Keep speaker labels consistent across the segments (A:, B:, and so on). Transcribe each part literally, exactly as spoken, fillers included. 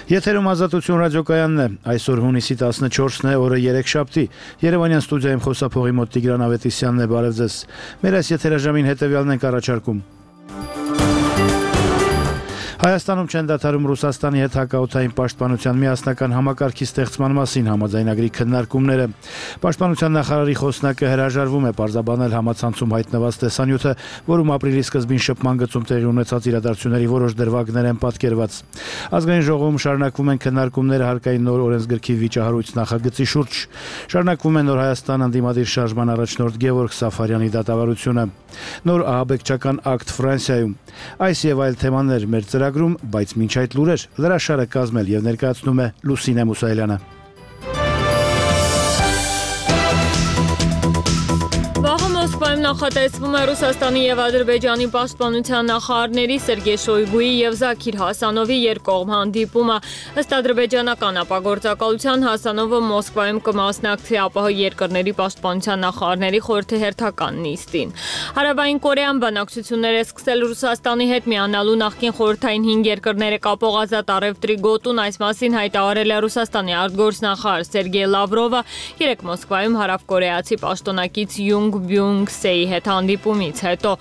A: Եթերում Ազատություն ռադիոկայանն է, այսօր հունիսի տասնչորսն է, օրը երեքշաբթի, Երևանյան ստուդիայում խոսափողի մոտ Տիգրան Ավետիսյանն է, բարև ձեզ։ Մեր այս եթերաժամին հետևյալն ենք առաջարկում։ Հայաստանում չեն դադարում Ռուսաստանի հետ հակաօդային պաշտպանության միասնական համակարգի ստեղծման մասին համաձայնագրի քննարկումները։ Պաշտպանության նախարարի խոսնակը հրաժարվում է պարզաբանել համացանցում հայտնված տեսանյութը, որում ապրիլի սկզբին շփման գծում տեղի ունեցած իրադարձությունների որոշ դրվագներ են պատկերված։ Ազգային ժողովում շարունակվում են քննարկումները հարկային նոր օրենսգրքի վիճահարույց նախագծի շուրջ։ Շարունակվում է Նոր Հայաստան ընդդիմադիր շարժման առաջնորդ Գևորգ Սաֆարյանի դատավարությունը։ Նոր ահաբեկչական ակտ Ֆրանսիայում։ Այս եւ այլ թեմաներ մեր ծրագրում, բայց մինչ այդ լուրեր լրաշարը կազմել եւ ներկայացնում է Լուսինե Մուսայելյանը։
B: Մոսկվայում նախատեսվում է Ռուսաստանի եւ Ադրբեջանի պաշտպանության նախարարների Սերգեյ Շոյգուի եւ Զաքիր Հասանովի երկկողմ հանդիպումը։ Ըստ ադրբեջանական ապագործակալության Հասանովը Մոսկվայում կմասնակցի ԱՊՀ երկրների պաշտպանության նախարարների խորհրդի հերթական նիստին։ Հարավային Կորեան բանակցություններ է սկսել Ռուսաստանի հետ միանալու նախկին խորհրդային հինգ երկրները կապող ազատ առևտրի գոտուն, այս մասին հայտարարել է Ռուսաստանի արտգործնախարար Սերգեյ Լավրովը երեկ Մոսկվայում հարավկորեացի պաշտոնակից Յունգ Բյունգ Սեի հետ հանդիպումից հետո։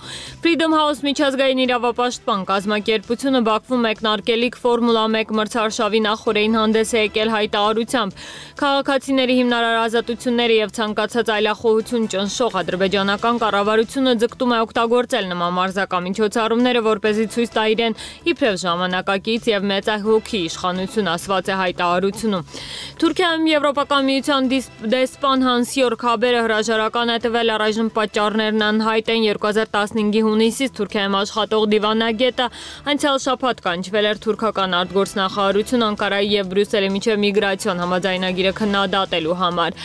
B: Freedom House միջազգային իրավապաշտպան կազմակերպությունը Բաքվում մեկնարկելիք Ֆորմուլա մեկ մրցարշավի նախօրեին հանդես է եկել հայտարարությամբ։ Քաղաքացիների հիմնարար ազատությունները եւ ցանկացած այլախոհություն ճնշող ադրբեջանական կառավարությունը ձգտում է օգտագործել նման մարզական միջոցառումները, որպեսզի ցույց տա իրեն իբրև ժամանակակից եւ մեծահոգի իշխանություն, ասված է հայտարարությունում։ Թուրքիայում Եվրոպական միության դեսպան Հանսյորգ Հաբերը հրաժարական է տվել, առայժմ պատճառներն անհայտ են։ երկու հազար տասնհինգի հունիսից Թուրքիայում աշխատող դիվանագետը անցյալ շաբաթ կանչվել էր թուրքական արտգործնախարարություն Անկարայի եւ Բրյուսելի միջև միգրացիոն համաձայնագիրը քննադատելու համար։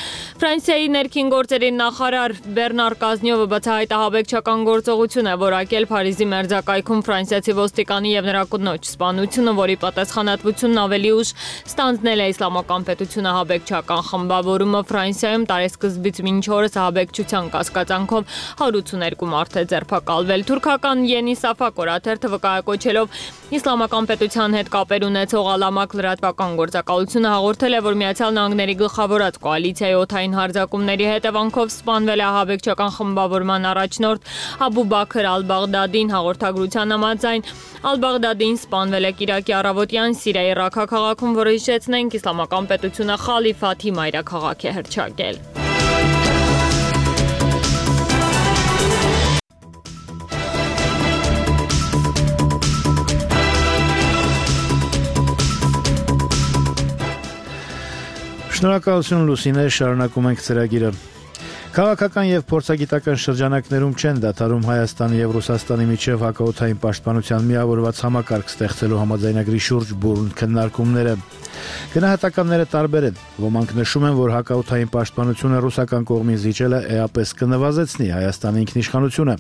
B: Ֆրանսիայի ներքին գործերի նախարար Բեռնար Կազնյովը բացահայտ ահաբեկչական գործողություն է որակել Փարիզի մերձակայքում ֆրանսիացի ոստիկանի եւ նրա կնոջ սպանությունը, որի պատասխանատվությունն ավելի ուշ ստանձնել է Իսլամական պետությունը ահաբեկչական խմբավորումը Ֆրանսիայում տարեսկզբից մինչ օրս ահաբեկչության կասկածանքով հարյուր ութսուներկու մարդ է ձերբակալվել։ Թուրքական Yeni Safak օրաթերթը վկայակոչելով Իսլամական պետության հետ կապեր ունեցող Ալամակ լրատվական գործակալությունը հաղորդել է, որ Միացյալ Նահանգների գլխավորած կոալիցիայի օդային հարձակումների հետևանքով սպանվել է ահաբեկչական խմբավորման առաջնորդ Աբու Բաքր Ալ-Բաղդադին։ Հաղորդագրության համաձայն Ալ-Բաղդադին սպանվել է կիրակի առավոտյան Սիրիայի Ռաքա քաղաքում, որը հիշեցնենք Իսլամական պետությունը խալիֆաթի մայրաքաղաք է հռչակել։
A: Շնորհակալություն Լուսինե, շարունակում ենք ծրագիրը։ Քաղաքական եւ փորձագիտական շրջանակներում չեն դադարում Հայաստանի եւ Ռուսաստանի միջև հակաօդային պաշտպանության միավորված համակարգ ստեղծելու համաձայնագրի շուրջ բուռն քննարկումները։ Գնահատականները տարբեր են։ Ոմանք նշում են, որ հակաօդային պաշտպանությունը ռուսական կողմին զիջելը էապես կնվազեցնի Հայաստանի ինքնիշխանությունը։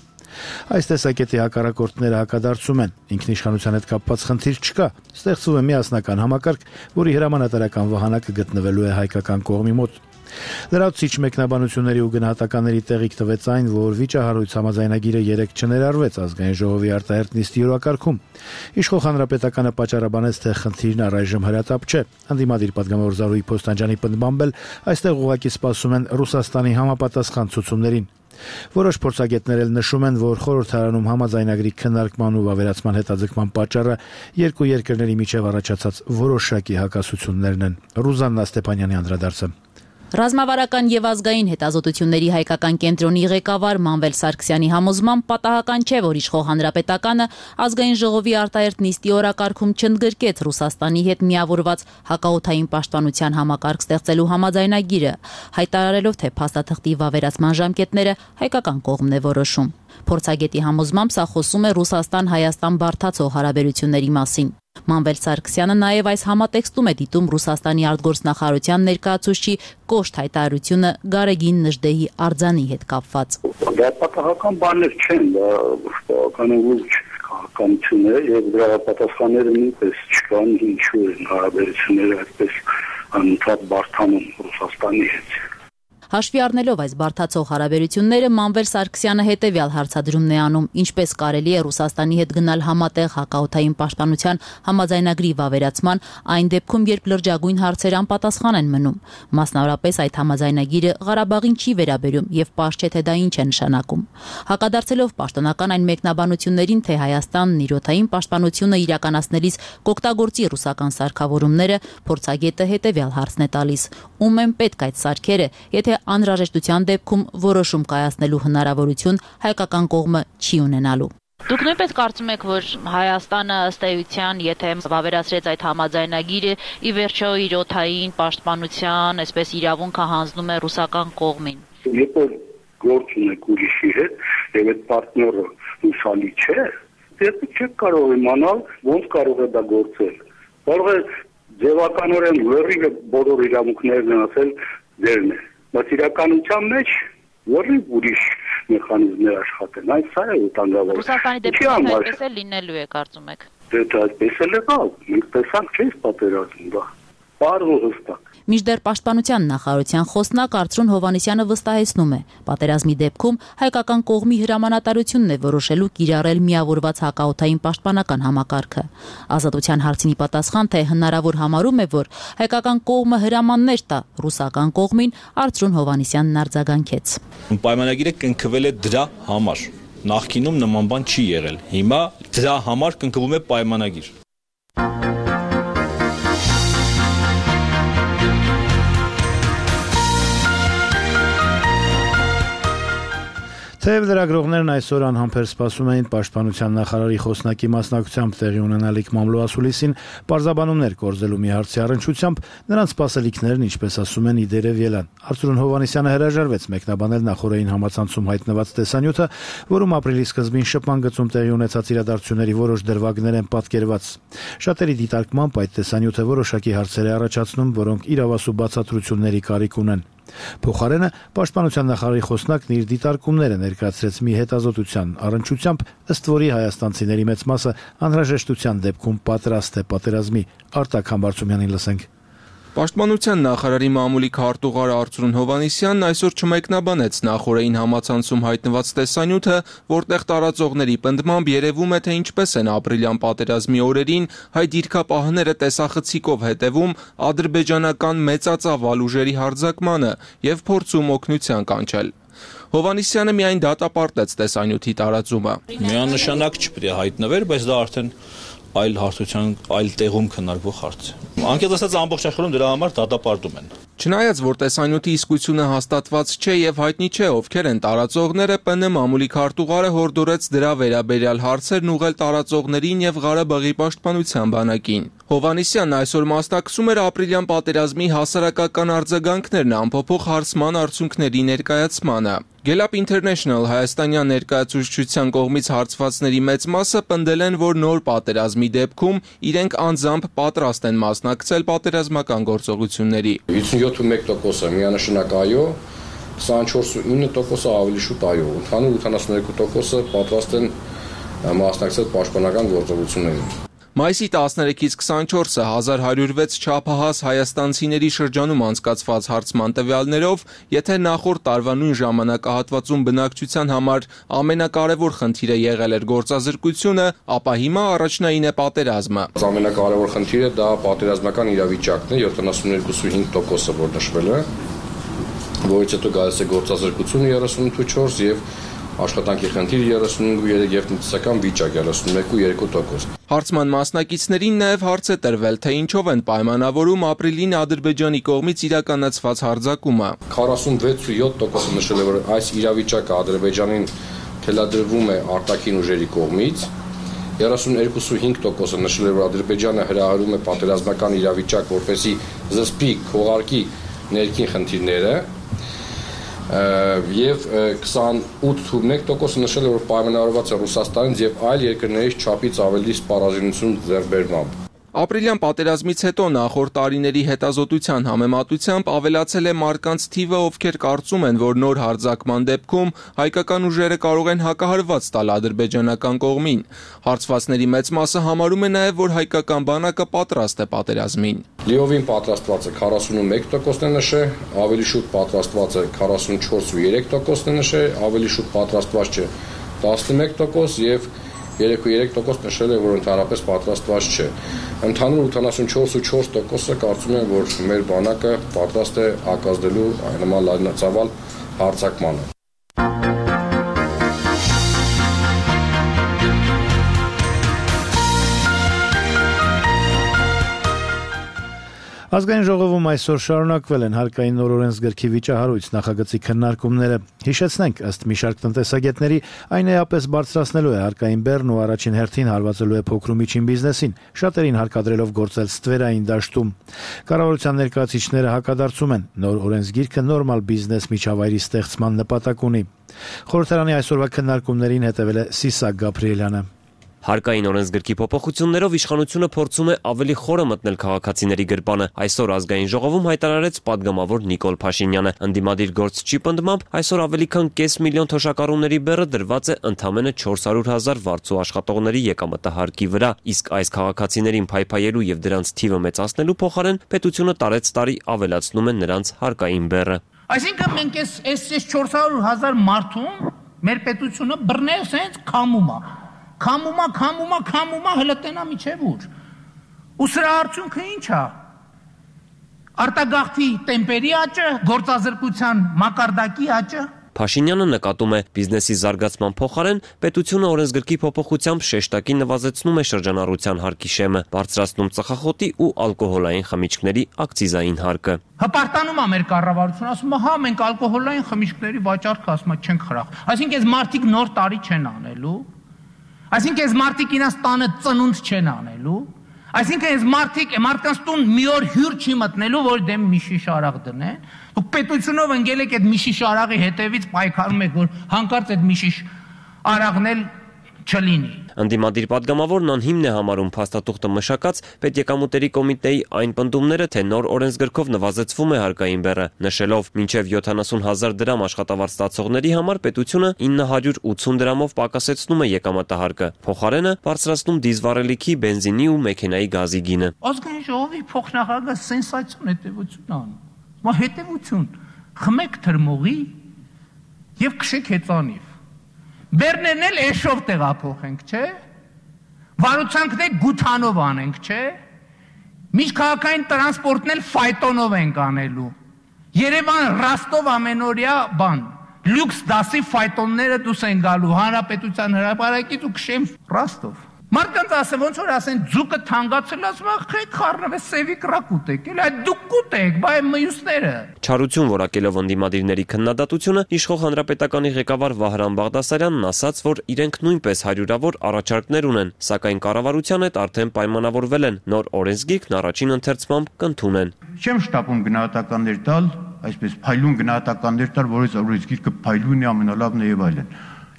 A: Այս տեսակետի հակառակորդները հակադարձում են, ինքնիշխանության հետ կապված խնդիր չկա, ստեղծվում է միասնական համակարգ, որի հրամանատարական վահանակը գտնվելու է հայկական կողմի մոտ։ Լրացուցիչ մեկնաբանությունների ու գնահատականների տեղիք տվեց այն, որ վիճահարույց համաձայնագիրը երեկ չներարվեց ազգային ժողովի արտահերթ նիստի օրակարգում։ Իշխող հանրապետականը պատճառաբանեց, թե խնդիրն առայժմ հրատապ չէ։ Ընդդիմադիր պատգամավոր Զարուհի Փոստանջյանի պնդմամբ էլ այստեղ ուղղակի սպասում են Ռուսաստանի համապատասխան ցուցումներին։ Որոշ փորձագետներ էլ նշում են, որ խորհրդարանում համաձայնագրի քննարկման ու ավերացման հետաձգման պատճառը երկու երկրների միջև առաջացած որոշակի հակասություններն են։ Ռուզաննա Ստեփանյանի անդրադարձը։
C: Ռազմավարական եւ ազգային հետազոտությունների հայկական կենտրոնի ղեկավար Մանվել Սարգսյանի համոզմամբ պատահական չէ, որ իշխող հանրապետականը ազգային ժողովի արտահերթ նիստի օրակարգում չընդգրկեց Ռուսաստանի հետ միավորված հակաօդային պաշտպանության համակարգ ստեղծելու համաձայնագիրը, հայտարարելով, թե փաստաթղթի վավերացման ժամկետները հայկական կողմն է որոշում։ Փորձագետի համոզմամբ սա խոսում է Ռուսաստան-Հայաստան բարդացող հարաբերությունների մասին։ Մանվել Սարգսյանը նաև այս համատեքստում է դիտում Ռուսաստանի արտգործնախարարության ներկայացուցչի կոշտ հայտարարությունը Գարեգին Նժդեհի արձանի հետ կապված։
D: Դա պատահական բաներ չեն, դա բավականին լուրջ քաղաքականություն է եւ դրա պատասխանները նույնպես չկան, ինչու են հարաբերությունները այդպես անընդհատ բարդանում Ռուսաստանի հետ։
C: Հաշվի առնելով այս բարդացող հարաբերությունները, Մանվել Սարգսյանը հետևյալ հարցադրումն է անում. ինչպես կարելի է Ռուսաստանի հետ գնալ համատեղ հակաօդային պաշտպանության համաձայնագրի վավերացման այն դեպքում, երբ լրջագույն հարցեր անպատասխան են մնում։ Մասնավորապես այդ համաձայնագիրը Ղարաբաղին չի վերաբերում եւ պարզ չէ, թե դա ինչ է նշանակում։ Հակադարձելով պաշտոնական այն մեկնաբանություններին, թե Հայաստանն իր օդային պաշտպանությունը իրականացնելիս կօգտագործի ռուսական սարքավորումները, փորձագետը հետևյալ հարցն է տալիս. ում են պետք այդ սարքերը, եթե անհրաժեշտության դեպքում որոշում կայացնելու հնարավորություն հայկական կողմը չի ունենալու։
E: Դուք նույնպես կարծում եք, որ Հայաստանը ըստ էության, եթե վավերացրեց այդ համաձայնագիրը, ի վերջո իր օդային պաշտպանության, այսպես իրավունքը հանձնում է ռուսական կողմին։
D: Երբ որ գործ ունեք ուրիշի հետ, եւ այդ պարտները հուսալի չէ, դեռ չեք կարող իմանալ, ոնց կարող է դա գործել։ Կարող է ձևականորեն լրիվ բոլոր իրավունքներն ասել դերն է, բայց իրականության մեջ լրիվ ուրիշ մեխանիզմներ աշխատեն, այդ սա է վտանգավոր։
E: Ռուսաստանի դեպքում այդպես է լինելու է, կարծում եք։
D: Դե դա այդպես էլ եղավ, մենք տեսանք չէ՞ պատերազմ դա։ Պարզ ու հստակ։
C: Մինչդեռ Պաշտպանության նախարարության խոսնակ Արծրուն Հովհաննիսյանը վստահեցնում է, պատերազմի դեպքում հայկական կողմի հրամանատարությունն է որոշելու կիրառել միավորված հակաօդային պաշտպանական համակարգը։ Ազատության հարցին պատասխան, թե հնարավոր համարում է, որ հայկական կողմը հրամաններ տա ռուսական կողմին, Արծրուն Հովհաննիսյանն արձագանքեց։
F: Պայմանագիրը կնքվել է դրա համար։ Նախկինում նման բան չի եղել։ Հիմա դրա համար կնքվում է պայմանագիր։
A: Թեև լրագրողներն այսօր անհամբեր սպասում էին պաշտպանության նախարարի խոսնակի մասնակցությամբ տեղի ունենալիք մամլոասուլիսին պարզաբանումներ կորզելու մի հարցի առնչությամբ, նրանց սպասելիքներն, ինչպես ասում են, իդերև ելան։ Արծրուն Հովհաննիսյանը հրաժարվեց մեկնաբանել նախորդային համացանցում հայտնված տեսանյութը, որում ապրիլի սկզբին շփման գծում տեղի ունեցած իրադարձությունների որոշ դրվագներ են պատկերված։ Շատերի դիտարկմամբ այդ տեսանյութը որոշակի հարցեր է առաջացնում, որոնք իրավասու բացատրությունների կարիք ունեն։ Փոխարենը պաշտպանության նախարարի խոսնակն իր դիտարկումները ներկայացրեց մի հետազոտության առնչությամբ, ըստ որի հայաստանցիների մեծ մասը անհրաժեշտության դեպքում պատրաստ է պատերազմի։ Արտակ Համբարձումյանին լսենք։
G: Պաշտպանության նախարարի մամուլի քարտուղար Արծրուն Հովհաննիսյանն այսօր չմեկնաբանեց նախորդային համացանցում հայտնված տեսանյութը, որտեղ տարածողների պնդմամբ երևում է, թե ինչպես են ապրիլյան պատերազմի օրերին հայ դիրքապահները տեսախցիկով հետևում ադրբեջանական մեծածավ ուժերի հարձակմանը եւ փորձում օգնության կանչել։ Հովհաննիսյանը միայն դատապարտեց տեսանյութի տարածումը։
F: Միանշանակ չպետք է հայտնվեր, բայց դա արդեն այլ հարթության, այլ տեղում քննարկվող հարց է։ Անկեղծ ասած ամբողջ աշխարհում դրա համար դատապարտում են։
G: Չնայած որ տեսանյութի իսկությունը հաստատված չէ եւ հայտնի չէ ովքեր են տարածողները, ՊՆ մամուլի քարտուղարը հորդորեց դրա վերաբերյալ հարցերն ուղղել տարածողներին եւ Ղարաբաղի պաշտպանության բանակին։ Հովհաննիսյանն այսօր մասնակցում էր ապրիլյան պատերազմի հասարակական արձագանքներն ամփոփող հարցման արդյունքների ներկայացմանը։ Գելապ International հայաստանյան ներկայացուցչության կողմից հարցվածների մեծ մասը պնդել են, որ նոր պատերազմի դեպքում իրենք անձամբ պատրաստ են մասնակցել պատերազմական գործողությունների։
H: հիսունյոթ ու մեկ տոկոսը միանշանակ այո, քսանչորս ու ինը տոկոսը ավելի շուտ այո, ընդհանուր ութանասուններկու տոկոսը պատրաստ են մասնակցել պաշտպանական գործողություններին։
G: Մայիսի տասներեքից քսանչորսը հազար հարյուր վեց չափահաս հայաստանցիների շրջանում անցկացված հարցման տվյալներով, եթե նախորդ տարվա նույն ժամանակահատվածում բնակչության համար ամենակարևոր խնդիրը եղել էր գործազրկությունը, ապա հիմա առաջնային է պատերազմը։
H: Ամենակարևոր խնդիրը դա պատերազմական իրավիճակն է, յոթանասուններկու ու հինգ տոկոսը որ նշվել է, որից հետո գալիս է գործազրկությունը երեսունութ ու չորս եւ աշխատանքի խնդիրը երեսունհինգ ու երեք եւ տնտեսական վիճակ երեսունմեկ ու երկու տոկոս։
G: Հարցման մասնակիցներին նաև հարց է տրվել, թե ինչով են պայմանավորում ապրիլին Ադրբեջանի կողմից իրականացված հարձակումը։
H: քառասունվեց ու յոթ տոկոսը նշել է, որ այս իրավիճակը Ադրբեջանին թելադրվում է արտաքին ուժերի կողմից։ երեսունհինգ ու հինգ տոկոսը նշել է, որ Ադրբեջանը հրահրում է պատերազմական իրավիճակ, որպեսզի զսպի, քողարկի ներքին խնդիրները։ Եվ քսանութ ու մեկ տոկոսը նշել է, որ պայմանավորված է Ռուսաստանից եւ այլ երկրներից չափից ավելի սպառազինություն ձեռքբերմամբ։
G: Ապրիլյան պատերազմից հետո նախորդ տարիների հետազոտության համեմատությամբ ավելացել է մարդկանց թիվը, ովքեր կարծում են, որ նոր հարձակման դեպքում հայկական ուժերը կարող են հակահարված տալ ադրբեջանական կողմին։ Հարցվածների մեծ մասը համարում է նաև, որ հայկական բանակը պատրաստ է պատերազմին։
H: Լիովին պատրաստված է քառասունմեկ տոկոսն է նշել, ավելի շուտ պատրաստված է քառասունչորս ու երեք տոկոսն է նշել, ավելի շուտ պատրաստված չէ տասնմեկ տոկոս եւ երեք ու երեք տոկոս նշել է, որ ընդհանրապես պատրաստված չէ։ Ընդհանուր ութանասունչորս ու չորս տոկոսը կարծում եմ, որ մեր բանակը պատրաստ է հակազդելու նման լայնածավալ հարձակմանը։
A: Ազգային ժողովում այսօր շարունակվել են հարկային նոր օրենսգրքի վիճահարույց նախագծի քննարկումները։ Հիշեցնենք, ըստ մի շարք տնտեսագետների, այն էապես բարձրացնելու է հարկային բեռն ու առաջին հերթին հարվածելու է փոքր ու միջին բիզնեսին, շատերին հարկադրելով գործել ստվերային դաշտում։ Կառավարության ներկայացուցիչները հակադարձում են, նոր օրենսգիրքը նորմալ բիզնես միջավայրի ստեղծման նպատակ ունի։ Խորհրդարանի այսօրվա քննարկումներին հետևել է Սիսակ Գաբրիելյանը։
I: Հարկային օրենսգրքի փոփոխություններով իշխանությունը փորձում է ավելի խորը մտնել քաղաքացիների գրպանը։ Այսօր ազգային ժողովում հայտարարեց падգամավոր Նիկոլ Փաշինյանը։ Ընդդիմադիր գործչի պնդմամբ այսօր ավելի քան կես միլիոն թոշակառուների բեռը դրված է ընդամենը չորս հարյուր հազար վարձու աշխատողների եկամտահարկի վրա, իսկ այս քաղաքացիներին փայփայելու եւ դրանց թիվը մեծացնելու փոխարեն պետությունը տարեց տարի ավելացնում է նրանց հարկային բեռը։
J: Այսինքն մենք այս այս չորս հարյուր հազար մարդուն մեր պետությունը բռնել սենց քամում է։ Քամումա, քամումա, քամումա, հələ տենա միջև ուր։ Ու սրա արդյունքը ինչ է։ Արտագաղթի տեմպերի աճը, գործազրկության մակարդակի աճը։
I: Փաշինյանը նկատում է, բիզնեսի զարգացման փոխարեն պետությունը օրենսգրքի փոփոխությամբ շեշտակի նվազեցնում է շրջանառության հարկի շեմը, բարձրացնում ծխախոտի ու ալկոհոլային խմիչքների ակցիզային հարկը։
J: Հպարտանում է մեր կառավարությունը, ասում է, հա, մենք ալկոհոլային խմիչքների վաճառքը ասում չենք խրախ։ Այսինքն այս մարդիկ նոր տարի չեն անելու։ Այսինքն այս մարդիկ իրաց տանը ծնունդ չեն անելու, այսինքն այս մարդիկ մարդկանց տուն մի օր հյուր չի մտնելու, որ դեմ մի շիշ արաղ դնեն, դուք պետությունով ընկել եք այդ մի շիշ արաղի հետևից պայքարում եք, որ հանկարծ այդ մի շիշ արաղն էլ չլինի։
I: Ընդդիմադիր падգամավորն անհիմն է համարում փաստաթուղթը մշակած պետեկամուտերի կոմիտեի այն պնդումները, թե նոր օրենսգրքով նվազեցվում է հարկային բեռը, նշելով մինչև յոթանասուն հազար դրամ աշխատավարձ ստացողների համար պետությունը ինը հարյուր ութուն դրամով պակասեցնում է եկամտահարկը, փոխարենը բարձրացնում դիզվառելիքի, բենզինի ու մեքենայի գազի գինը։
J: Ազգային ժողովի փոխնախագահը սենսացիոն հետևություն անում։ Մա հետևություն, խմեք թրմողի եւ քշեք հեծանիվ։ Բեռներն էլ էշով տեղափոխենք, չէ՞։ Վարուցանքն էլ գութանով անենք, չէ՞։ Միջքաղաքային տրանսպորտն էլ ֆայտոնով ենք անելու։ Երևան Ռաստով ամենօրյա բան։ Լյուքս դասի ֆայտոնները դուս են գալու հանրապետության հրապարակից ու քշեմ Ռաստով։ Մարդկանց ասեմ, ոնց որ ասեն, ձուկը թանկացել, ասում ախ, եք խառնվե սևի կրակ ուտեք, էլ այդ դուք կուտեք, բայ մյուսները։
I: Չարություն որակելով ընդդիմադիրների քննադատությունը, իշխող հանրապետականի ղեկավար Վահրամ Բաղդասարյանն ասաց, որ իրենք նույնպես հարյուրավոր առաջարկներ ունեն, սակայն կառավարության հետ արդեն պայմանավորվել են, նոր օրենսգիրքն առաջին ընթերցմամբ կընդունեն։
K: Չեմ շտապում գնահատականներ տալ, այսպես փայլուն գնահատականներ տալ, որից օրենսգիրքը փայլուն է, ամենալավն է եւ այլն։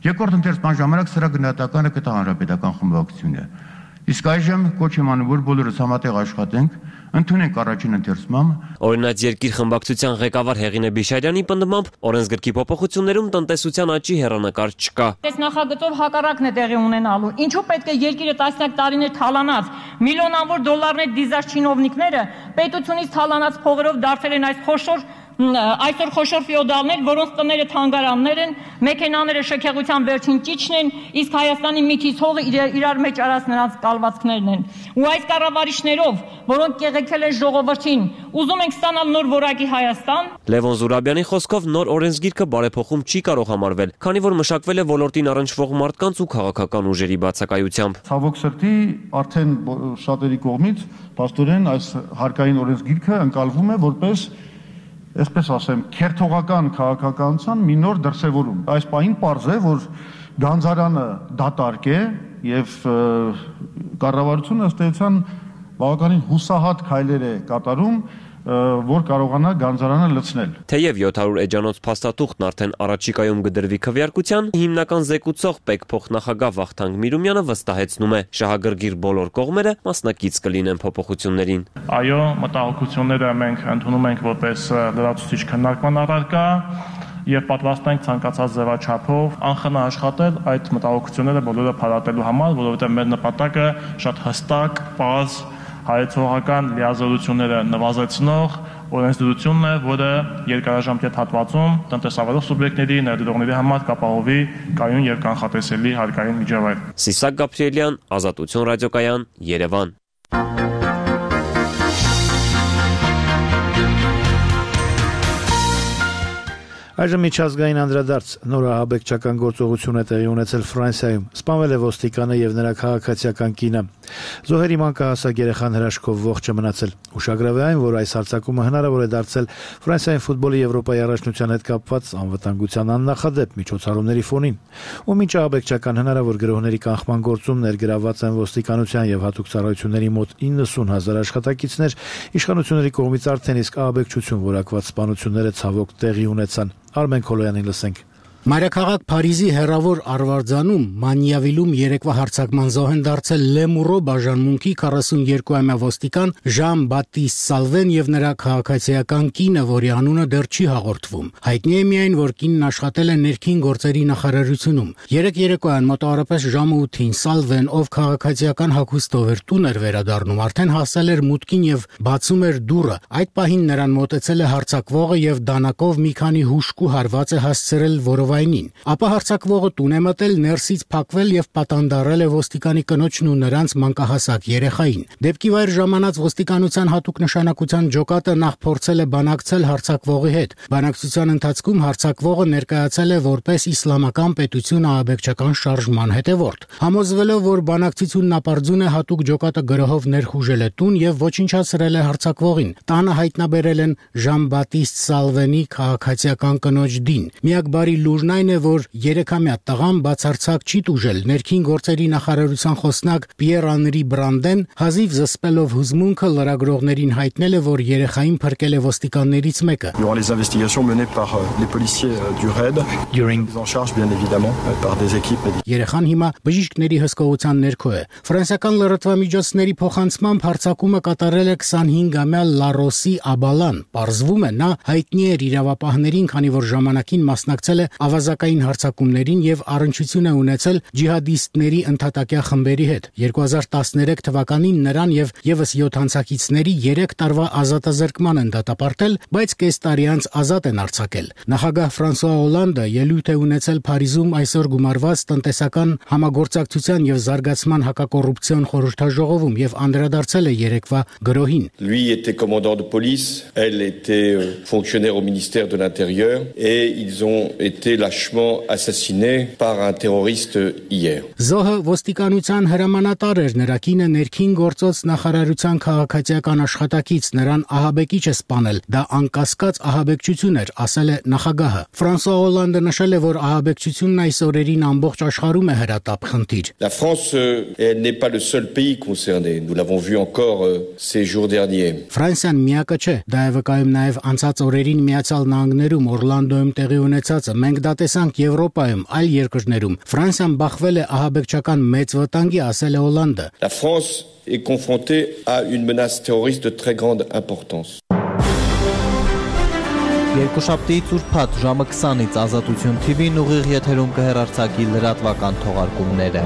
K: Երկրորդ ընթերցման ժամանակ սրա գնահատականը կտա հանրապետական խմբակցությունը։ Իսկ այժմ կոչ եմ անում, որ բոլորս համատեղ աշխատենք, ընդունենք առաջին ընթերցմամբ։
I: Օրինաց երկիր խմբակցության ղեկավար Հեղինե Բիշարյանի պնդմամբ օրենսգրքի փոփոխություններում տնտեսության աճի հեռանկար չկա։
L: Այս նախագծով հակառակն է տեղի ունենալու։ Ինչու պետք է երկիրը տասնյակ տարիներ թալանած, միլիոնավոր դոլարներ դիզած չինովնիկները պետությունից թալանած փողերով դարձել են այս խոշոր այսօր խոշոր ֆեոդալներ, որոնց տները թանգարաններ են, մեքենաները շքեղության վերջին ճիճն են, իսկ Հայաստանի միթից հողը իրար մեջ արած նրանց կալվածքներն են։ Ու այս կառավարիչներով, որոնք կեղեքել են ժողովրդին, ուզում ենք ստանալ նոր որակի Հայաստան։
I: Լևոն Զուրաբյանի խոսքով նոր օրենսգիրքը բարեփոխում չի կարող համարվել, քանի որ մշակվել է ոլորտին առնչվող մարդկանց ու քաղաքական ուժերի բացակայությամբ։
M: Ցավոք սրտի արդեն շատերի կողմից փաստորեն այս հարկային օրենսգիրքը ընկալվում է որպես այսպես ասեմ, քերթողական քաղաքականության մի նոր դրսևորում։ Այս պահին պարզ է, որ Գանձարյանը դատարկ է եւ կառավարությունը ըստ էության բավականին հուսահատ քայլեր է կատարում որ կարողանա գանձարանը լցնել։
I: Թեև յոթ հարյուր էջանոց փաստաթուղթն արդեն առաջիկայում կդրվի քվեարկության, հիմնական զեկուցող Պեկ փոխնախագահ Վախթանգ Միրումյանը վստահեցնում է, շահագրգիռ բոլոր կողմերը մասնակից կլինեն փոփոխություններին։
N: Այո, մտահոգությունները մենք ընդունում ենք որպես լրացուցիչ քննարկման առարկա եւ պատրաստ ենք ցանկացած ձևաչափով անխնա աշխատել այդ մտահոգությունները բոլորը փարատելու համար, որովհետեւ մեր նպատակը շատ հստակ, պարզ հայեցողական լիազորությունները նվազեցնող օրենսդրությունն է, որը երկարաժամկետ հատվածում տնտեսավարող սուբյեկտների, ներդրողների համար կապահովի կայուն եւ կանխատեսելի հարկային միջավայր։
I: Սիսակ Գաբրիելյան, Ազատություն ռադիոկայան, Երևան։
A: Այժմ միջազգային անդրադարձ նոր ահաբեկչական գործողություն է տեղի ունեցել Ֆրանսիայում։ Սպանվել է ոստիկանը եւ նրա քաղաքացիական կինը։ Զոհերի մանկահասակ երեխան հրաշքով ողջ է մնացել։ Ուշագրավ է այն, որ այս հարձակումը հնարավոր է դարձել Ֆրանսիայի ֆուտբոլի Եվրոպայի առաջնության հետ կապված անվտանգության աննախադեպ միջոցառումների ֆոնին, ու մինչ ահաբեկչական հնարավոր գրոհների կանխման գործում ներգրավված են ոստիկանության եւ հատուկ ծառայությունների մոտ իննսուն հազար աշխատակիցներ, իշխանությունների կողմից արդեն իսկ ահաբեկչություն որակված սպանությունները ցավոք տեղի ունեցան։ Արմեն Քոլոյանին լսենք։
O: Մայրաքաղաք Փարիզի հեռավոր Արվարձանում Մանիավիլում երեկվա հարձակման զոհ են դարձել Լեմուրո բաժանմունքի քառասունյոթամյա ոստիկան Ժան-Բատիստ Սալվեն եւ նրա քաղաքացիական կինը, որի անունը դեռ չի հաղորդվում։ Հայտնի է միայն, որ կինն աշխատել է ներքին գործերի նախարարությունում։ Երեք երեկոյան մոտավորապես ժամը ութին Սալվեն, ով քաղաքացիական հագուստով էր տուն էր վերադառնում, արդեն հասել էր մուտքին եւ բացում էր դուռը։ Այդ պահին նրան մոտեցել է հարձակվողը եւ դանակով մի քանի հուշկու հարված է հասցրել որով Ապա հարձակվողը տուն է մտել, ներսից փակվել եւ պատանդարել է ոստիկանի կնոջն ու նրանց մանկահասակ երեխային։ Դեպքի վայր ժամանած ոստիկանության հատուկ նշանակության ջոկատը նախ փորձել է բանակցել հարձակվողի հետ։ Բանակցության ընթացքում հարձակվողը ներկայացել է որպես իսլամական պետություն ահաբեկչական շարժման հետևորդ։ Համոզվելով, որ բանակցությունն ապարդյուն է, հատուկ ջոկատը գրոհով ներխուժել է տուն եւ ոչնչացրել է հարձակվողին։ Տանը հայտնաբերել են Ժան-Բատիստ Սալվենի քաղաքացիական կնոջ Դին։ Միակ բարի լուր այն է, որ երեքամյա տղան բացարձակ չի տուժել։ Ներքին գործերի նախարարության խոսնակ Պիեր Անրի Բրանդեն հազիվ զսպելով հուզմունքը լրագրողներին հայտնել է, որ երեխային փրկել է ոստիկաններից մեկը։
P: Les investigations menées par les policiers du RAID, pris en charge bien évidemment par des équipes médicales.
O: Երեխան հիմա բժիշկների հսկողության ներքո է։ Ֆրանսիական լրատվամիջոցների փոխանցմամբ հարձակումը կատարել է քսանհինգամյա Լարոսի Աբալան։ Պարզվում է, նա հայտնի էր իրավապահներին, քանի որ ժամանակին մասնակցել է ավազակային հարձակումներին եւ առնչություն է ունեցել ջիհադիստների ընդհատակյա խմբերի հետ։ երկու հազար տասներեք թվականին նրան եւ եւս յոթ անցակիցների երեք տարվա ազատազրկման են դատապարտել, բայց կես տարի անց ազատ են արձակել։ Նախագահ Ֆրանսուଆ Օլանդը ելույթ է ունեցել Փարիզում այսօր գումարված տնտեսական համագործակցության եւ զարգացման հակակոռուպցիոն խորհրդաժողովում եւ անդրադարձել է երեկվա գրոհին։
Q: Lui était commandant de police, elle était fonctionnaire au ministère de l'Intérieur et ils ont été lâchement assassiné par un terroriste hier.
O: Զոհը ոստիկանության հրամանատար էր, նրա կինը ներքին գործոց նախարարության քաղաքացիական աշխատակից, նրան ահաբեկիչ է սպանել։ Դա անկասկած ահաբեկչություն էր, ասել է նախագահը։ Ֆրանսուଆ Օլանդը նշել է, որ ահաբեկչությունն այս օրերին ամբողջ աշխարհում է հրատապ խնդիր։
Q: La France elle n'est pas le seul pays concerné. Nous l'avons vu encore ces jours derniers.
O: Ֆրանսիան միակը չէ, դա է վկայում նաև անցած օրերին Միացյալ Նահանգներում Օրլանդոյում տեղի ունեցածը։ Մենք դա տեսանք Եվրոպայում, այլ երկրներում։ Ֆրանսիան բախվել է ահաբեկչական մեծ վտանգի, ասել է Օլանդը։
Q: La France est confrontée à une menace terroriste de très grande importance.
R: Երկուշաբթիից ուրբաթ ժամը քսանից Ազատություն Թի Վին ուղիղ եթերում կհեռարձակի լրատվական թողարկումները։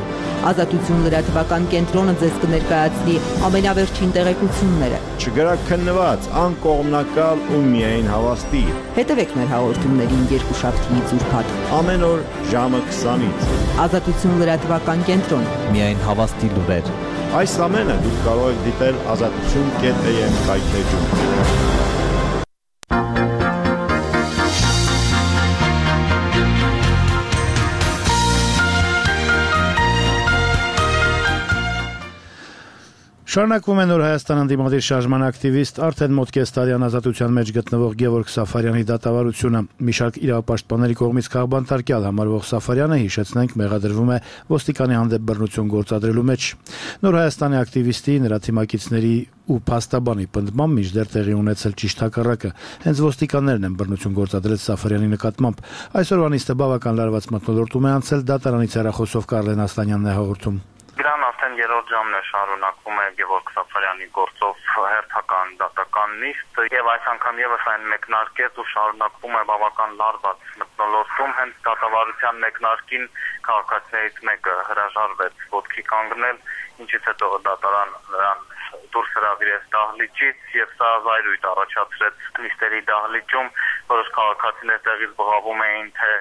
S: Ազատություն լրատվական կենտրոնը ձեզ կներկայացնի ամենավերջին տեղեկությունները։
T: Չգրաքննված, անկողմնակալ ու միայն հավաստի։
S: Հետևեք մեր հաղորդումներին երկուշաբթիից ուրբաթ
T: ամեն օր ժամը քսանից։
S: Ազատություն լրատվական կենտրոն։
R: Միայն հավաստի լուրեր։
T: Այս ամենը դուք կարող եք դիտել ազատություն կետ էմ կայքեջում։
A: Շարունակվում է Նոր Հայաստան ընդդիմադիր շարժման ակտիվիստ արդեն մոտ կես տարի ազատության մեջ գտնվող Գևորգ Սաֆարյանի դատավարությունը։ Մի շարք իրավապաշտպանների կողմից քաղբանտարկյալ համարվող Սաֆարյանը, հիշեցնենք, մեղադրվում է ոստիկանի հանդեպ բռնություն գործադրելու մեջ։ Նոր Հայաստանի ակտիվիստի, նրա թիմակիցների ու փաստաբանի պնդմամբ մինչդեռ տեղի ունեցել ճիշտ հակառակը։ Հենց ոստիկաններն են բռնություն գործադրել Սաֆարյանի նկատմամբ։ Այսօրվա նիստը բավական լարված մթնոլորտում է անցել, դատարանից հեռախոսով Կարլեն Ասլանյանն է հաղորդում։
U: Դրան արդեն երրորդ ժամն է շարունակվում է Գևորգ Սաֆարյանի գործով հերթական դատական նիստ եւ այս անգամ եւս այն մեկնարկեց ու շարունակվում է բավական լարված մթնոլորտում։ Հենց դատավարության մեկնարկին քաղաքացիներից մեկը հրաժարվեց ոտքի կանգնել, ինչից հետո դատարան նրան դուրս հրավիրեց դահլիճից եւ սա զայրույթ առաջացրեց նիստերի դահլիճում, որոշ քաղաքացիներ տեղից բղավում էին, թե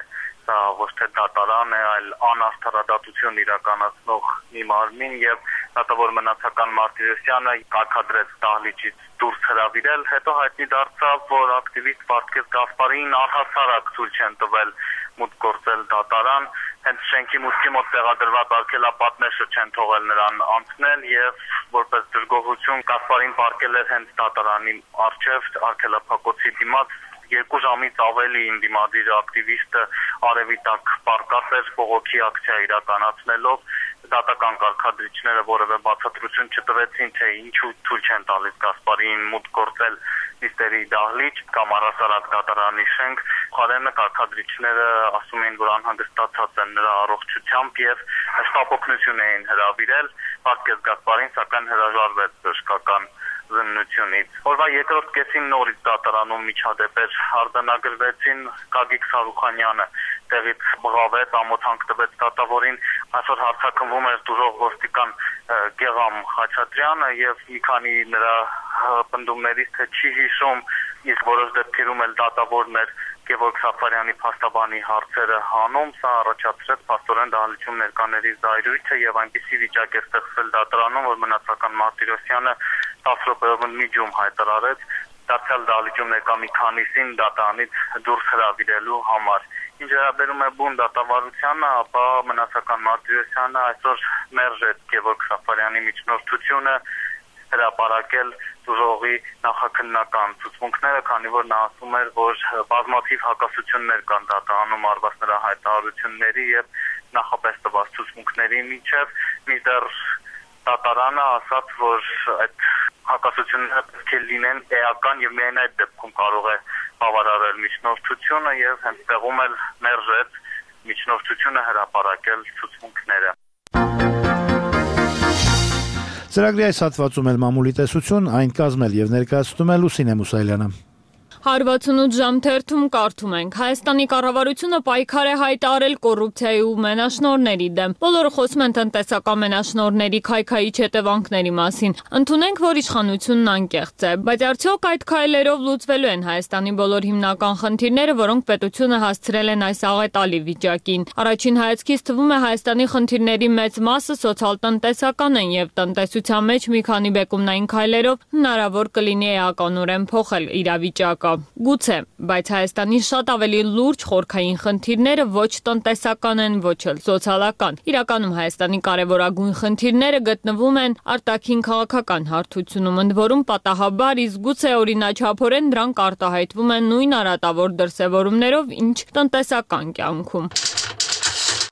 U: սա ոչ թե դատարան է, այլ անարդարադատություն իրականացնող մի մարմին եւ դատավոր Մնացական Մարտիրոսյանը կարգադրեց դահլիճից դուրս հրավիրել, հետո հայտնի դարձավ, որ ակտիվիստ Վարդգես Գասպարին առհասարակ ցույց չեն տվել մուտք գործել դատարան, հենց շենքի մուտքի մոտ տեղադրված արգելապատները չեն թողել նրան անցնել եւ որպես դժգոհություն Գասպարին պարկել էր հենց դատարանի առջև արգելափակոցի դիմաց։ Երկու ժամից ավելի ընդդիմադիր ակտիվիստը արևի տակ պարկած էր բողոքի ակցիա իրականացնելով, դատական կարգադրիչները որևէ բացատրություն չտվեցին, թե ինչու թույլ չեն տալիս Գասպարին մուտք գործել նիստերի դահլիճ կամ առհասարակ դատարանի շենք։ Խարենը կարգադրիչները ասում էին, որ անհանգստացած են նրա առողջությամբ եւ շտապօգնություն էին հրավիրել։ Վարդգես Գասպարին սակայն հրաժարվեց բժշկական զննությունից։ Օրվա երկրորդ կեսին նորից դատարանում միջադեպեր արձանագրվեցին, Գագիկ Սարուխանյանը տեղից բղավեց, ամոթանք տվեց դատավորին, այսօր հարցաքննվում էր դուրող ոստիկան Գեղամ Խաչատրյանը եւ մի քանի նրա պնդումներից թե չի հիշում, իսկ որոշ դեպքերում էլ դատավորն էր Գևորգ Սաֆարյանի փաստաբանի հարցերը հանում, սա առաջացրեց փաստորեն դահլիճում ներկաների զայրույթը եւ այնպիսի վիճակ է ստեղծվել դատարանում, որ Մնացական Մարտիրոսյանը տասը րոպեով միջում հայտարարեց դարձյալ դահլիճում ներկա մի քանիսին դատարանից դուրս հրավիրելու համար։ Ինչ վերաբերում է բուն դատավարությանը, ապա Մնացական Մարտիրոսյանը այսօր մերժեց Գևորգ Սաֆարյանի միջնորդությունը հրապարակել դուրողի նախաքննական ցուցմունքները, քանի որ նա ասում էր, որ բազմաթիվ հակասություններ կան դատարանում արված նրա հայտարարությունների եւ նախապես տված ցուցմունքների միջև, մինչդեռ դատարանը ասաց, որ այդ հակասությունները պետք է լինեն էական եւ միայն այդ դեպքում կարող է բավարարել միջնորդությունը եւ հենց տեղում էլ մերժեց միջնորդությունը հրապարակել ցուցմունքները։
A: Ծրագրի այս հատվածում էլ մամուլի տեսություն, այն կազմել եւ ներկայացնում է Լուսինե Մուսայելյանը։
B: հարվածունութ ժամ թերթում կարդում ենք. Հայաստանի կառավարությունը պայքար է հայտարարել կոռուպցիայի ու մենաշնորհների դեմ։ Բոլորը խոսում են տնտեսական մենաշնորհների քայքայիչ հետևանքների մասին։ Ընդունենք, որ իշխանությունն անկեղծ է, բայց արդյոք այդ քայլերով լուծվելու են Հայաստանի բոլոր հիմնական խնդիրները, որոնք պետությունը հասցրել են այս աղետալի վիճակին։ Առաջին հայացքից թվում է Հայաստանի խնդիրների մեծ մասը սոցիալ-տնտեսական են եւ տնտեսության մեջ մի քանի բեկումնային քայլերով հնարավոր կլինի էականորեն փոխել իրավիճակը։ Գուցե, բայց Հայաստանի շատ ավելի լուրջ խորքային խնդիրները ոչ տնտեսական են, ոչ էլ սոցիալական։ Իրականում Հայաստանի կարևորագույն խնդիրները գտնվում են արտաքին քաղաքական հարթությունում, ընդ որում պատահաբար, իսկ գուցե օրինաչափորեն դրանք արտահայտվում են նույն արատավոր դրսևորումներով, ինչ տնտեսական կյանքում։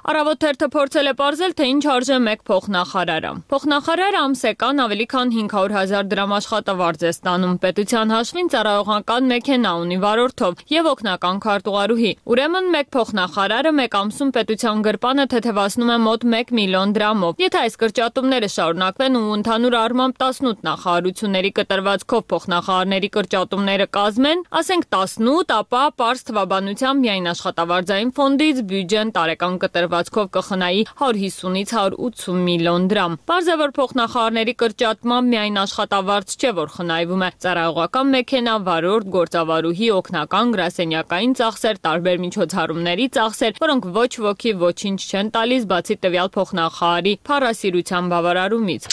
B: Առավոտ թերթը փորձել է պարզել, թե ինչ արժե մեկ փոխնախարարը։ Փոխնախարարը ամսեկան ավելի քան հինգ հարյուր հազար դրամ աշխատավարձ է ստանում, պետության հաշվին ծառայողական մեքենա ունի վարորդով եւ օգնական քարտուղարուհի։ Ուրեմն մեկ փոխնախարարը մեկ ամսում պետության գրպանը թեթևացնում է մոտ մեկ միլիոն դրամով։ Եթե այս կրճատումները շարունակվեն ու ընդհանուր առմամբ տասնութ նախարարությունների կտրվածքով փոխնախարարների կրճատումները կազմեն, ասենք տասնութ, ապա պարզ թվաբանությամբ միայն աշխատավարձային ֆոնդից բյուջեն տարեկան կտրված կխնայի հարյուր հիսունից հարյուր ութսուն միլիոն դրամ։ Պարզ է, որ փոխնախարարների կրճատմամբ միայն աշխատավարձ չէ, որ խնայվում է, ծառայողական մեքենա, վարորդ, գործավարուհի, օգնական, գրասենյակային ծախսեր, տարբեր միջոցառումների ծախսեր, որոնք ոչ ոքի ոչինչ չեն տալիս, բացի տվյալ փոխնախարարի փառասիրության բավարարումից։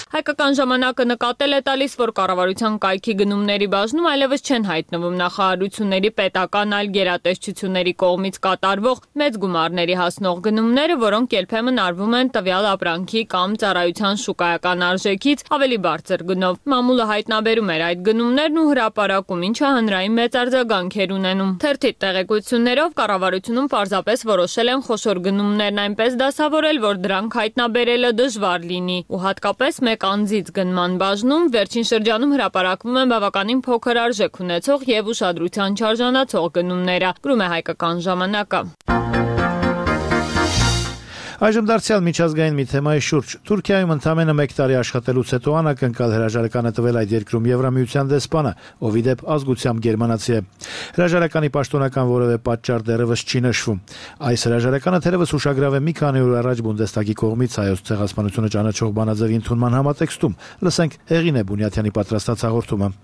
B: Հայկական ժամանակը նկատել է տալիս, որ կառավարության կայքի գնումների բաժնում այլևս չեն հայտնվում նախարարությունների պետական այլ գերատեսչությունների կողմից կատարվող մեծ գումարների հասնող գնումները, որոնք երբեմն արվում են տվյալ ապրանքի կամ ծառայության շուկայական արժեքից ավելի բարձր գնով։ Մամուլը հայտնաբերում էր այդ գնումներն ու հրապարակում, ինչը հանրային մեծ արձագանք էր ունենում։ Թերթի տեղեկություններով կառավարությունում պարզապես որոշել են խոշոր գնումներն այնպես դասավորել, որ դրանք հայտնաբերելը դժվար լինի ու հատկապես մեկ անձից գնման բաժնում վերջին շրջանում հրապարակվում են բավականին փոքր արժեք ունեցող եւ ուշադրության չարժանացող գնումները, գրում է Հայկական ժամանակը։
A: Այժմ դարձյալ միջազգային մի թեմայի շուրջ։ Թուրքիայում ընդամենը մեկ տարի աշխատելուց հետո անակնկալ հրաժարական է տվել այդ երկրում Եվրամիության դեսպանը, ով ի դեպ ազգությամբ գերմանացի է։ Հրաժարականի պաշտոնական որևէ պատճառ դեռևս չի նշվում։ Այս հրաժարականը թերևս ուշագրավ է մի քանի օր առաջ Բունդեստագի կողմից հայոց ցեղասպանությունը ճանաչող բանաձևի ընդունման համատեքստում։ Լսենք Հեղինե Բունյաթյանի պատրաստած հաղորդումը։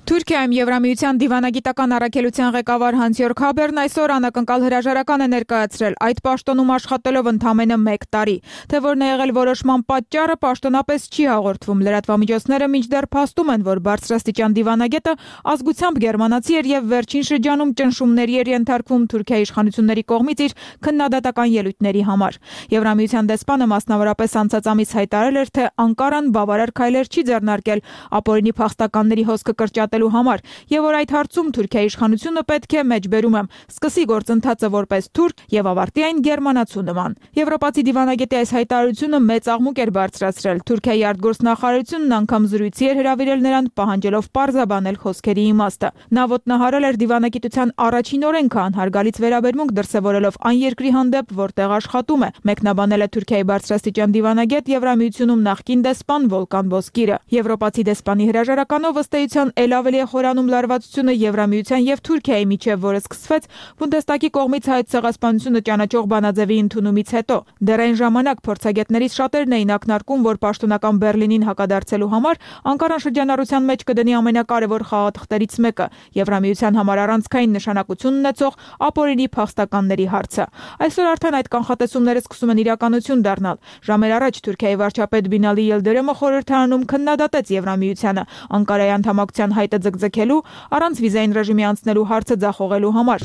E: Թուրքիայում Եվրամիության դիվանագիտական առաքելության ղեկավար Հանս-Յորգ Հաբերն այսօր անակնկալ հրաժարական է ներկայացրել, այդ պաշտոնում աշխատելով ընդամենը մեկ տարի։ Թե որն է եղել որոշման պատճառը, պաշտոնապես չի հաղորդվում։ Լրատվամիջոցները մինչդեռ փաստում են, որ բարձրաստիճան դիվանագետը ազգությամբ գերմանացի էր եւ վերջին շրջանում ճնշումների էր ենթարկվում Թուրքիայի իշխանությունների կողմից իր քննադատական ելույթների համար։ Եվրամիության դեսպանը մասնավորապես անցած ամիս հայտարարել էր, թե Անկարան բավարար քայլեր չի ձեռնարկել ապօրինի փախստականների հոսքը կրճատել համար եւ որ այդ հարցում Թուրքիայի իշխանությունը պետք է մեջբերում եմ սկսի գործընթացը որպես թուրք եւ ավարտի այն գերմանացու նման։ Եվրոպացի դիվանագետի այս հայտարարությունը մեծ աղմուկ էր բարձրացրել։ Թուրքիայի արտգործնախարարությունն անգամ զրույցի էր հրավիրել նրան, պահանջելով պարզաբանել խոսքերի իմաստը։ Նա ոտնահարել էր դիվանագիտության առաջին օրենքը, անհարգալից վերաբերմունք դրսևորելով այն երկրի հանդեպ, որտեղ աշխատում է։ Մեկնաբանել է Թուրքիայի բարձրաստիճան դիվանագետ Եվրամիությունում նախկին դեսպան Վոլկան Բոսկիրը։ Եվրոպացի դեսպանի հրաժարականով ըստ էության ավելի է խորանում լարվածությունը Եվրամիության եւ Թուրքիայի միջև, որը սկսվեց Բունդեստագի կողմից հայոց ցեղասպանությունը ճանաչող բանաձևի ընդունումից հետո։ Դեռ այն ժամանակ փորձագետներից շատերն էին ակնարկում, որ պաշտոնական Բեռլինին հակադարձելու համար Անկարան շրջանառության մեջ կդնի ամենակարևոր խաղաթղթերից մեկը՝ Եվրամիության համար առանցքային նշանակություն ունեցող ապօրինի փախստականների հարցը։ Այսօր արդեն այդ կանխատեսումները սկսում են իրականություն դառնալ։ Ժամեր առաջ Թուրքիայի վարչապետ Բինալի Ելդերեմը խորհրդարանում քննադատեց Եվրամիությանը Անկարայի անդամակցության հայտը ձգձգելու, առանց վիզային ռեժիմի անցնելու հարցը ձախողելու համար։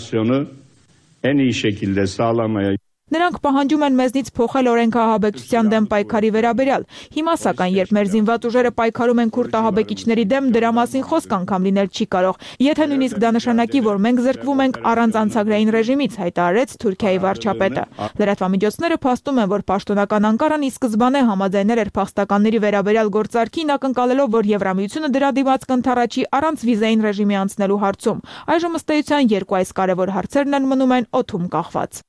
E: Նրանք պահանջում են մեզնից փոխել օրենքը ահաբեկչության դեմ պայքարի վերաբերյալ։ Հիմա սակայն, երբ մեր զինված ուժերը պայքարում են քուրդ ահաբեկիչների դեմ, դրա մասին խոսք անգամ լինել չի կարող։ Եթե նույնիսկ դա նշանակի, որ մենք զրկվում ենք առանց անցագրային ռեժիմից, հայտարարեց Թուրքիայի վարչապետը։ Լրատվամիջոցները փաստում են, որ պաշտոնական Անկարան ի սկզբանե համաձայնել էր փախստականների վերաբերյալ գործարքին, ակնկալելով, որ Եվրամիությունը դրա դիմաց կընդառաջի առանց վիզային ռեժիմի անցնելու հարցում։ Այժմ ըստ էության երկու այս կարևոր հարցերն են մնում են օդում կախված։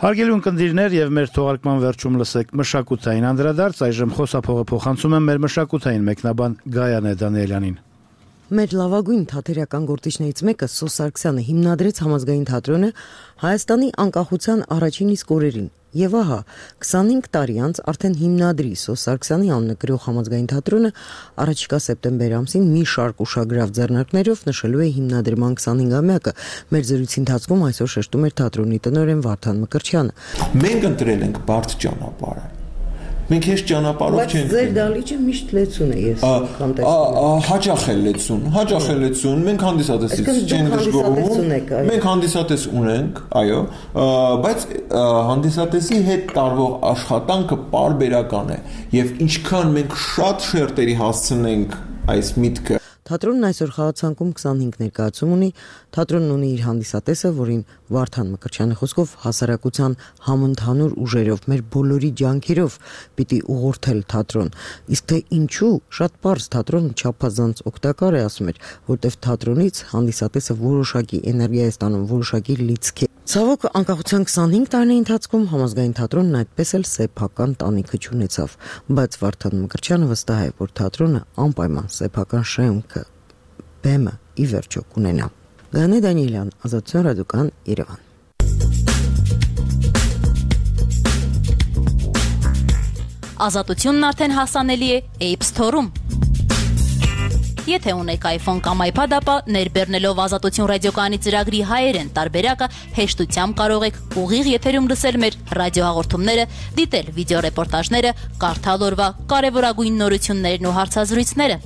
A: Հարգելի ունկնդիրներ եւ մեր թողարկման վերջում լսեք մշակութային անդրադարձ, այժմ խոսափողը փոխանցում եմ մեր մշակութային մեկնաբան Գայանե Դանիելյանին։
V: Մեր լավագույն թատերական գործիչներից մեկը Սո Սարգսյանը հիմնադրեց Համազգային թատրոնը Հայաստանի անկախության առաջին իսկ օրերին։ Եվ ահա, քսանհինգ տարի անց արդեն հիմնադրի Սո Սարգսյանի անունը կրող Համազգային թատրոնը առաջիկա սեպտեմբեր ամսին մի շարք ուշագրավ ձեռնարկներով նշելու է հիմնադրման քսանհինգամյակը։ Մեր զրույցի ընթացքում այսօր շեշտում էր թատրոնի տնօրեն Վարդան Մկրտչյանը։
W: Մենք ընտրել ենք բարդ ճանապարհը։ Մենք հեշտ ճանապարհով չենք։
V: Բայց ձեր դալիճը միշտ լեցուն է, ես անգամ տեսնում։
W: Հաճախ է լեցուն, հաճախ է լեցուն։ Մենք հանդիսատեսից չենք դժգոհում։ Մենք հանդիսատես ունենք, այո, բայց հանդիսատեսի հետ տարվող աշխատանքը պարբերական է, եւ ինչքան մենք շատ շերտերի հասցնենք այս միտքը։
V: Թատրոնն այսօր խաղացանկում քսանհինգ ներկայացում ունի, թատրոնն ունի իր հանդիսատեսը, որին Վարդան Մկրտչյանի խոսքով հասարակության համընդհանուր ուժերով, մեր բոլորի ջանքերով պիտի ուղղորդել թատրոն։ Իսկ թե ինչու, շատ պարզ, թատրոնը չափազանց օգտակար է, ասում էր, որտեվ թատրոնից հանդիսատեսը որոշակի էներգիա է ստանում, որոշակի լիցք է։ Ցավոք, անկախության քսանհինգ տարիների ընթացքում Համազգային թատրոնն այդպես էլ սեփական տանիքը չունեցավ, բայց Վարդան Մկրտչյանը վստահ է, որ թատրոնը անպայման սեփական շեմքը, բեմը ի վերջո կունենա։ Գանե Դանիելյան, Ազատություն ռադիոկան, Երևան։
C: Ազատությունն արդեն հասանելի է App Store-ում։ Եթե ունեք iPhone կամ iPad, ապա ներբեռնելով Ազատություն ռադիոկայանի ծրագրի հայերեն տարբերակը հեշտությամբ կարող եք ուղիղ եթերում լսել մեր ռադիոհաղորդումները, դիտել վիդեոռեպորտաժները, կարդալ օրվա կարևորագույն նորություններն ու հարցազրույցները։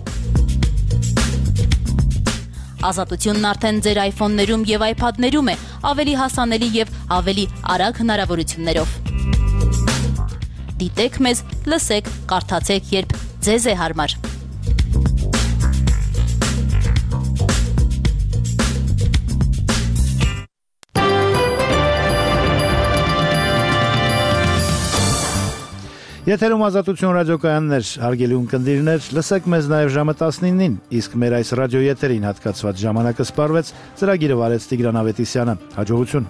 C: Ազատությունն արդեն ձեր iPhone-ներում եւ iPad-ներում է, ավելի հասանելի եւ ավելի արագ հնարավորություններով։ Դիտեք մեզ, լսեք, կարդացեք, երբ ձեզ է հարմար։
A: Եթերում Ազատություն ռադիոկայաններ, հարգելի ունկնդիրներ, լսեք մեզ նաև ժամը տասնինին, իսկ մեր այս ռադիոեթերին հատկացված ժամանակը սպառվեց, ծրագիրը վարեց Տիգրան Ավետիսյանը։ Հաջողություն։